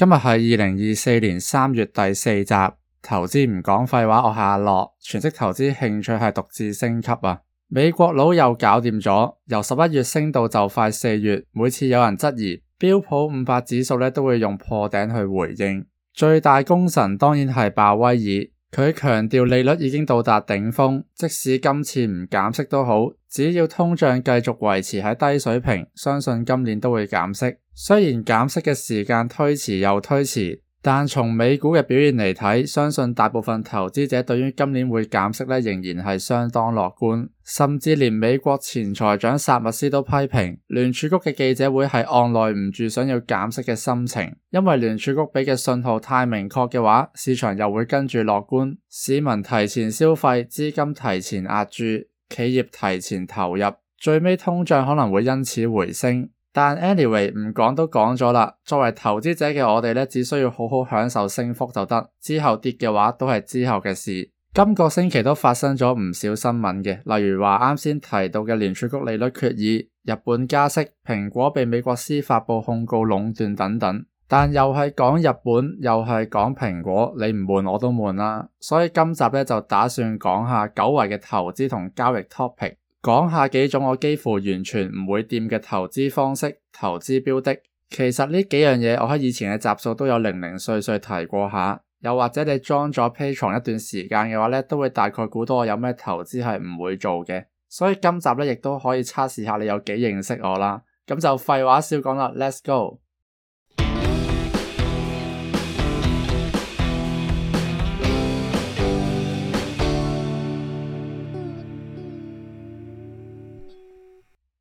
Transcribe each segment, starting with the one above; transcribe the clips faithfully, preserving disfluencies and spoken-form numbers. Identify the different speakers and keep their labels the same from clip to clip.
Speaker 1: 今日係二零二四年三月第四集，投資唔講廢話，我係阿樂，全職投資興趣係獨自升級啊！美國佬又搞掂咗，由十一月升到就快四月，每次有人質疑標普五百指數咧，都會用破頂去回應。最大功臣當然係鮑威爾。佢強調利率已經到達頂峰，即使今次唔減息都好，只要通脹繼續維持喺低水平，相信今年都會減息。雖然減息嘅時間推遲又推遲，但從美股嘅表現嚟睇，相信大部分投資者對於今年會減息咧，仍然係相當樂觀。甚至連美國前財長薩默斯都批評聯儲局嘅記者會係按捺唔住想要減息嘅心情，因為聯儲局俾嘅信號太明確嘅話，市場又會跟住樂觀，市民提前消費，資金提前壓住，企業提前投入，最尾通脹可能會因此回升。但 anyway 唔講都講咗啦，作為投資者嘅我哋咧，只需要好好享受升幅就得，之後跌嘅話都係之後嘅事。今個星期都發生咗唔少新聞嘅，例如話啱先提到嘅聯儲局利率決議、日本加息、蘋果被美國司法部控告壟斷等等。但又係講日本，又係講蘋果，你唔悶我都悶啦。所以今集咧就打算講下久違嘅投資同交易 topic， 講下幾種我幾乎完全唔會掂嘅投資方式、投資標的。其實呢幾樣嘢我喺以前嘅集數都有零零碎碎提過下。又或者你裝咗 Patreon 一段時間嘅話咧，都會大概估到我有咩投資係唔會做嘅。所以今集咧亦都可以測試下你有幾認識我啦。咁就廢話少講啦 ，Let's go！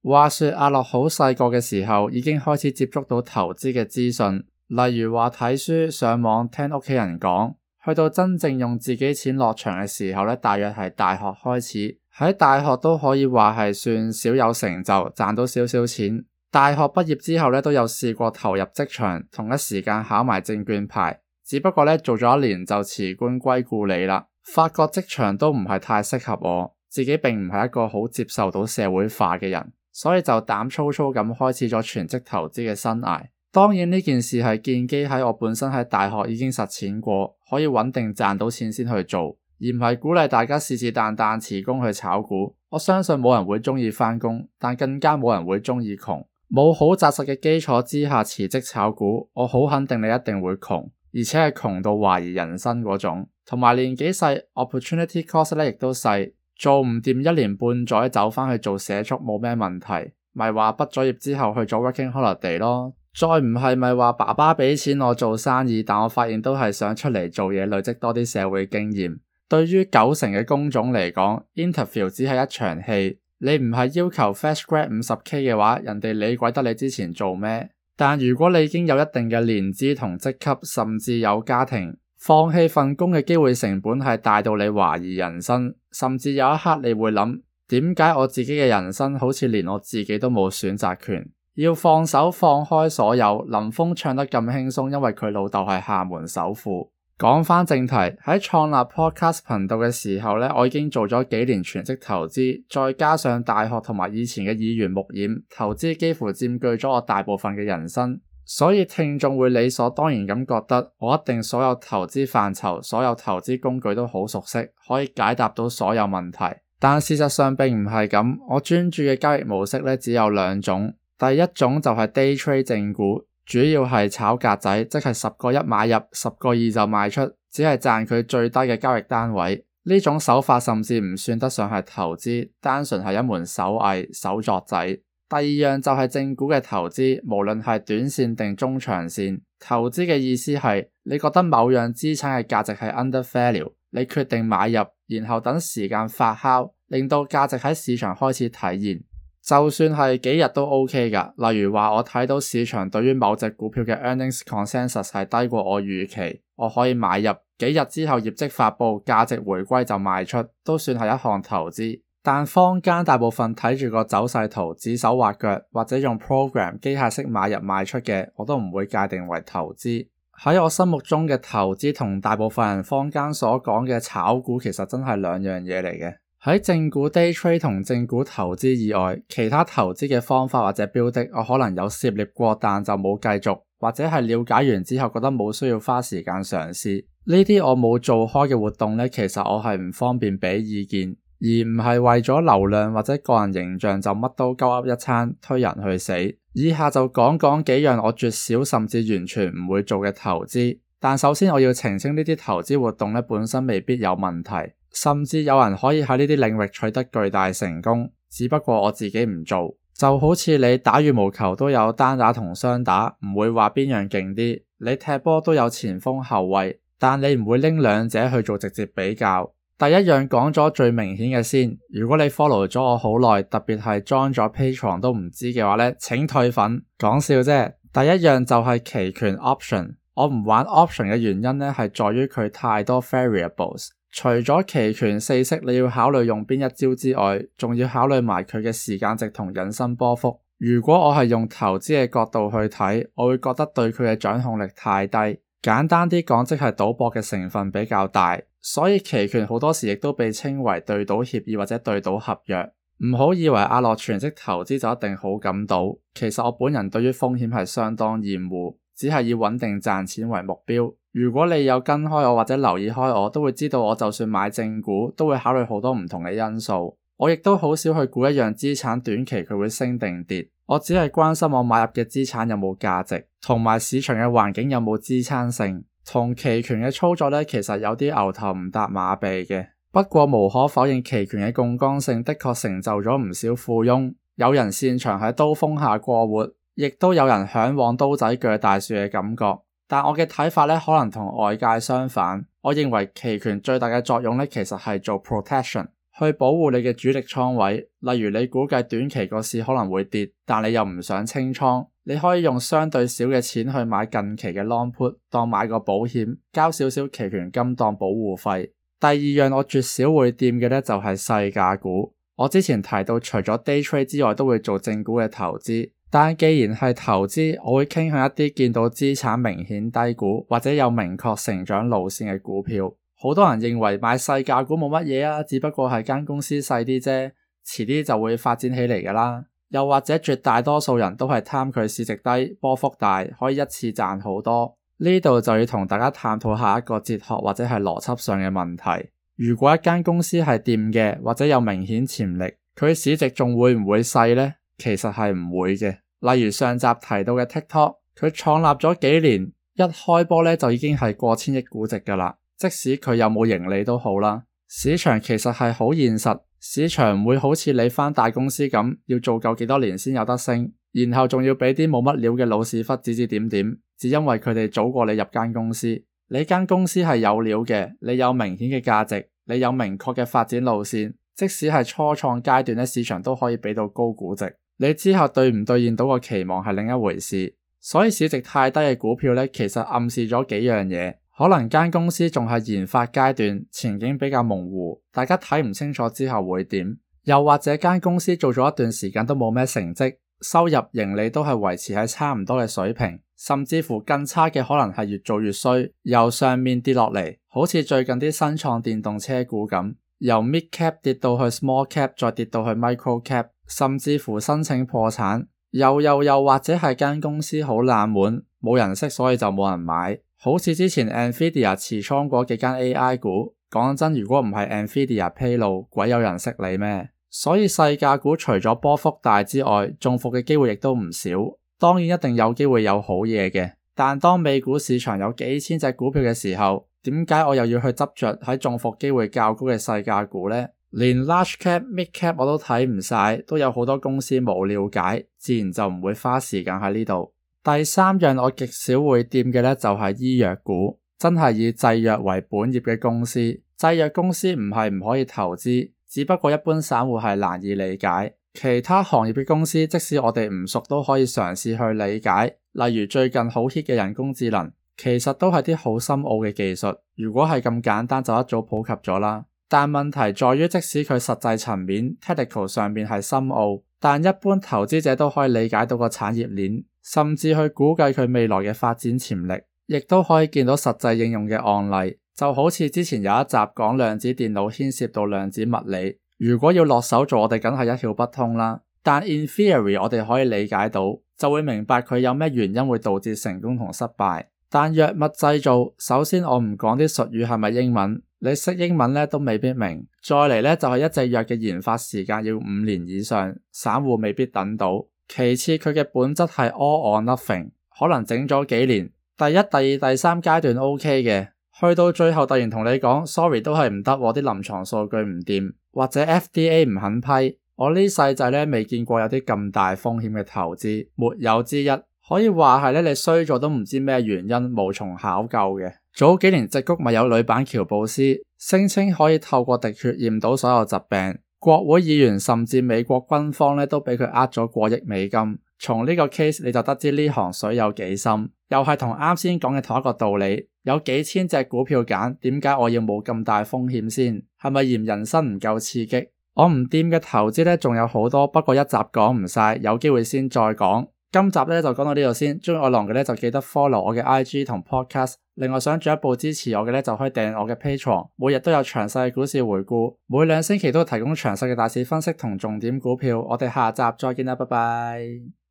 Speaker 1: 話說阿樂好細個嘅時候已經開始接觸到投資嘅資訊。例如話睇書、上網、聽屋企人講，去到真正用自己錢落場嘅時候咧，大約係大學開始。喺大學都可以話係算小有成就，賺到少少錢。大學畢業之後咧，都有試過投入職場，同一時間考埋證券牌。只不過咧做咗一年就辭官歸故里啦，發覺職場都唔係太適合我，自己並唔係一個好接受到社會化嘅人，所以就膽粗粗咁開始咗全職投資嘅生涯。當然呢件事係建基喺我本身喺大學已經實踐過，可以穩定賺到錢先去做，而唔係鼓勵大家是是但但辭工去炒股。我相信冇人會鍾意返工，但更加冇人會鍾意窮。冇好紮實嘅基礎之下辭職炒股，我好肯定你一定會窮，而且係窮到懷疑人生嗰種。同埋年紀細 ，opportunity cost 咧亦都細，做唔掂一年半載走返去做社畜冇咩問題，咪話畢咗業之後去做 working holiday 咯。再唔係咪話爸爸俾錢我做生意，但我發現都係想出嚟做嘢，累積多啲社會經驗。對於九成嘅工種嚟講 interview 只係一場戲，你唔係要求 fresh grad 五十 K 嘅話，人哋理鬼得你之前做咩？但如果你已經有一定嘅年資同職級，甚至有家庭，放棄份工嘅機會成本係大到你懷疑人生，甚至有一刻你會諗，點解我自己嘅人生好似連我自己都冇選擇權？要放手放開所有，林峰唱得咁輕鬆，因為佢老豆係廈門首富。講返正題，喺創立 podcast 頻道嘅時候咧，我已經做咗幾年全職投資，再加上大學同埋以前嘅耳濡目染，投資幾乎佔據咗我大部分嘅人生。所以聽眾會理所當然咁覺得，我一定所有投資範疇、所有投資工具都好熟悉，可以解答到所有問題。但事實上並唔係咁，我專注嘅交易模式咧只有兩種。第一種就係 day trade 正股，主要係炒格仔，即係十個一買入，十個二就賣出，只係賺佢最低嘅交易單位。呢種手法甚至唔算得上係投資，單純係一門手藝、手作仔。第二樣就係正股嘅投資，無論係短線定中長線。投資嘅意思係你覺得某樣資產嘅價值係 under value， 你決定買入，然後等時間發酵，令到價值喺市場開始體現。就算係幾日都 OK 噶，例如話我睇到市場對於某隻股票嘅 earnings consensus 係低過我預期，我可以買入，幾日之後業績發佈，價值回歸就賣出，都算係一項投資。但坊間大部分睇住個走勢圖指手畫腳，或者用 program 機械式買入賣出嘅，我都唔會界定為投資。喺我心目中嘅投資同大部分人坊間所講嘅炒股其實真係兩樣嘢嚟嘅。喺正股 day trade 同正股投資以外，其他投資嘅方法或者標的，我可能有涉獵過，但就冇繼續，或者係了解完之後覺得冇需要花時間嘗試。呢啲我冇做開嘅活動呢，其實我係唔方便俾意見，而唔係為咗流量或者個人形象就乜都鳩噏一餐推人去死。以下就講講幾樣我絕少甚至完全唔會做嘅投資。但首先我要澄清呢啲投資活動呢本身未必有問題，甚至有人可以喺呢啲領域取得巨大成功，只不過我自己唔做。就好似你打羽毛球都有單打同雙打，唔會話邊樣勁啲。你踢波都有前鋒後衛，但你唔會拎兩者去做直接比較。第一樣講咗最明顯嘅先，如果你 follow 咗我好耐，特別係 join 咗 Patreon 都唔知嘅話呢，請退粉。講笑啫。第一樣就係期權 option。我唔玩 option 嘅原因呢，係在於佢太多 variables。除咗期權四式你要考慮用邊一招之外，仲要考慮埋佢嘅時間值同引伸波幅。如果我係用投資嘅角度去睇，我會覺得對佢嘅掌控力太低。簡單啲講，即係賭博嘅成分比較大，所以期權好多時亦都被稱為對賭協議或者對賭合約。唔好以為阿樂全職投資就一定好敢賭，其實我本人對於風險係相當厭惡，只係以穩定賺錢為目標。如果你有跟開我或者留意開我，都會知道我就算買正股都會考慮好多唔同嘅因素。我亦都好少去估一樣資產短期佢會升定跌，我只係關心我買入嘅資產有冇價值，同埋市場嘅環境有冇支撐性。同期權嘅操作呢，其實有啲牛頭唔搭馬鼻嘅。不過無可否認，期權嘅槓桿性的確成就咗唔少富翁。有人擅長喺刀鋒下過活，亦都有人嚮往刀仔鋸大樹嘅感覺。但我嘅睇法呢，可能同外界相反。我認為期權最大嘅作用呢，其實係做 protection， 去保護你嘅主力倉位。例如你估計短期個市可能會跌，但你又唔想清倉，你可以用相對少嘅錢去買近期嘅 long put， 當買個保險，交少少期權金當保護費。第二樣我絕少會掂嘅呢，就係細價股。我之前提到除咗 day trade 之外都會做正股嘅投資，但既然係投資，我會傾向一啲見到資產明顯低估或者有明確成長路線嘅股票。好多人認為買細價股冇乜嘢啊，只不過係間公司細啲啫，遲啲就會發展起嚟㗎啦。又或者絕大多數人都係貪佢市值低、波幅大，可以一次賺好多。呢度就要同大家探討下一個哲學或者係邏輯上嘅問題。如果一間公司係掂嘅，或者有明顯潛力，佢市值仲會唔會細呢？其實係唔會嘅。例如上集提到嘅 TikTok， 佢創立咗幾年，一開波咧就已經係過千億估值㗎啦。即使佢有冇盈利都好啦，市場其實係好現實，市場唔會好似你返大公司咁，要做夠幾多年先有得升，然後仲要俾啲冇乜料嘅老屎忽指指點點，只因為佢哋早過你入間公司。你間公司係有料嘅，你有明顯嘅價值，你有明確嘅發展路線，即使係初創階段咧，市場都可以俾到高估值。你之後兌唔兌現到個期望係另一回事。所以市值太低嘅股票咧，其實暗示咗幾樣嘢。可能間公司仲係研發階段，前景比較模糊，大家睇唔清楚之後會點。又或者間公司做咗一段時間都冇咩成績，收入盈利都係維持喺差唔多嘅水平，甚至乎更差嘅可能係越做越衰，由上面跌落嚟，好似最近啲新創電動車股咁，由 mid cap 跌到去 small cap， 再跌到去 micro cap， 甚至乎申請破產。又又又或者係間公司好冷門，冇人識，所以就冇人買。好似之前 Nvidia 持倉嗰幾間 A I 股，講真，如果唔係 Nvidia 披露，鬼有人識你咩？所以細價股除咗波幅大之外，中伏嘅機會亦都唔少。當然一定有機會有好嘢嘅，但當美股市場有幾千隻股票嘅時候，點解我又要去執着喺中伏機會較高嘅細價股呢？連 large cap、mid cap 我都睇唔晒，都有好多公司冇了解，自然就唔會花時間喺呢度。第三樣我極少會掂嘅呢，就係醫藥股，真係以製藥為本業嘅公司。製藥公司唔係唔可以投資，只不過一般散戶係難以理解。其他行業嘅公司，即使我哋唔熟都可以嘗試去理解。例如最近好 hit 嘅人工智能，其實都係啲好深奧嘅技術，如果係咁簡單就一早普及咗啦。但問題在於，即使佢實際層面 technical 上面係深奧，但一般投資者都可以理解到個產業鏈，甚至去估計佢未來嘅發展潛力，亦都可以見到實際應用嘅案例。就好似之前有一集講量子電腦牽涉到量子物理，如果要落手做，我哋梗係一竅不通啦。但 in theory 我哋可以理解到，就會明白佢有咩原因會導致成功同失敗。但藥物製造，首先我唔講啲術語係咪英文，你識英文咧都未必明。再嚟咧就係一隻藥嘅研發時間要五年以上，散戶未必等到。其次佢嘅本質係 all or nothing， 可能整咗幾年，第一、第二、第三階段 OK 嘅，去到最後突然同你講 sorry 都係唔得，我啲臨床數據唔掂，或者 F D A 唔肯批。我呢世仔咧未見過有啲咁大風險嘅投資，沒有之一。可以話係咧，你衰咗都唔知咩原因，無從考究嘅。早幾年矽谷咪有女版喬布斯，聲稱可以透過滴血驗到所有疾病，國會議員甚至美國軍方咧都俾佢呃咗過億美金。從呢個 case 你就得知呢行水有幾深，又係同啱先講嘅同一個道理。有幾千隻股票揀，點解我要冇咁大風險先？係咪嫌人生唔夠刺激？我唔掂嘅投資咧仲有好多，不過一集講唔晒，有機會先再講。今集咧就講到呢度先，鍾意我郎嘅咧就記得 follow 我嘅 I G 同 podcast， 另外想進一步支持我嘅咧就可以訂我嘅 Patreon， 每日都有詳細嘅股市回顧，每兩星期都會提供詳細嘅大市分析同重點股票。我哋下集再見啦，拜拜。